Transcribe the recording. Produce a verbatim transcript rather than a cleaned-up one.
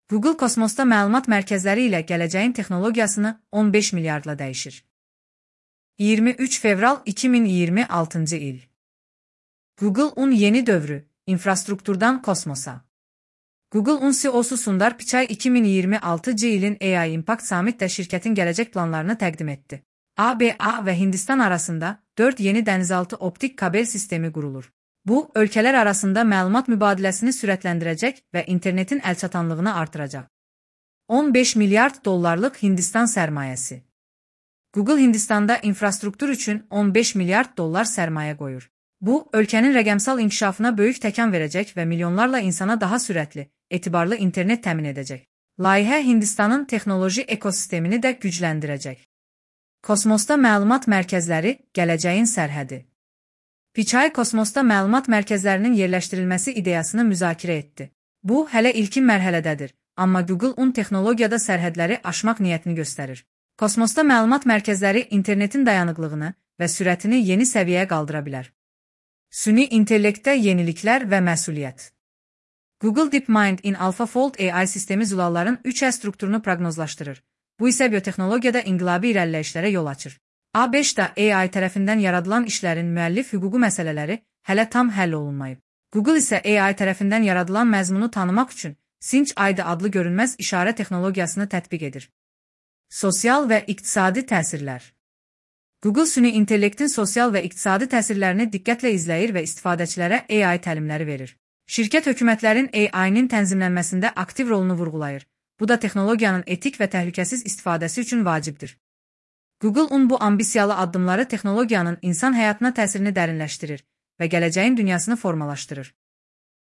Google kosmosda məlumat mərkəzləri ilə gələcəyin texnologiyasını on beş milyardla dəyişir. iyirmi üç fevral iki min iyirmi altıncı il. Google-un yeni dövrü, infrastrukturdan kosmosa. Google-un C E O-su Sundar Pichai iki min iyirmi altıncı ilin A I Impact Summit'də şirkətin gələcək planlarını təqdim etdi. A B A və Hindistan arasında dörd yeni dənizaltı optik kabel sistemi qurulur. Bu, ölkələr arasında məlumat mübadiləsini sürətləndirəcək və internetin əlçatanlığını artıracaq. on beş milyard dollarlıq Hindistan sərmayəsi. Google Hindistanda infrastruktur üçün on beş milyard dollar sərmayə qoyur. Bu, ölkənin rəqəmsal inkişafına böyük təkan verəcək və milyonlarla insana daha sürətli, etibarlı internet təmin edəcək. Layihə Hindistanın texnoloji ekosistemini də gücləndirəcək. Kosmosda məlumat mərkəzləri, gələcəyin sərhədi. Pichai kosmosda məlumat mərkəzlərinin yerləşdirilməsi ideyasını müzakirə etdi. Bu, hələ ilkin mərhələdədir, amma Google-un texnologiyada sərhədləri aşmaq niyyətini göstərir. Kosmosda məlumat mərkəzləri internetin dayanıqlığını və sürətini yeni səviyyəyə qaldıra bilər. Süni intellektdə yeniliklər və məsuliyyət. Google DeepMind in AlphaFold A I sistemi zulalların üç ə strukturunu proqnozlaşdırır. Bu isə biotexnologiyada inqilabi irəliləyişlərə yol açır. A beş-də A I tərəfindən yaradılan işlərin müəllif hüququ məsələləri hələ tam həll olunmayıb. Google isə A I tərəfindən yaradılan məzmunu tanımaq üçün Cinch I D adlı görünməz işarə texnologiyasını tətbiq edir. Sosial və iqtisadi təsirlər. Google süni intellektin sosial və iqtisadi təsirlərini diqqətlə izləyir və istifadəçilərə A I təlimləri verir. Şirkət hökumətlərin A I-nin tənzimlənməsində aktiv rolunu vurğulayır. Bu da texnologiyanın etik və təhlükəsiz istifadəsi üçün vacibdir. Google-un bu ambisiyalı addımları texnologiyanın insan həyatına təsirini dərinləşdirir və gələcəyin dünyasını formalaşdırır.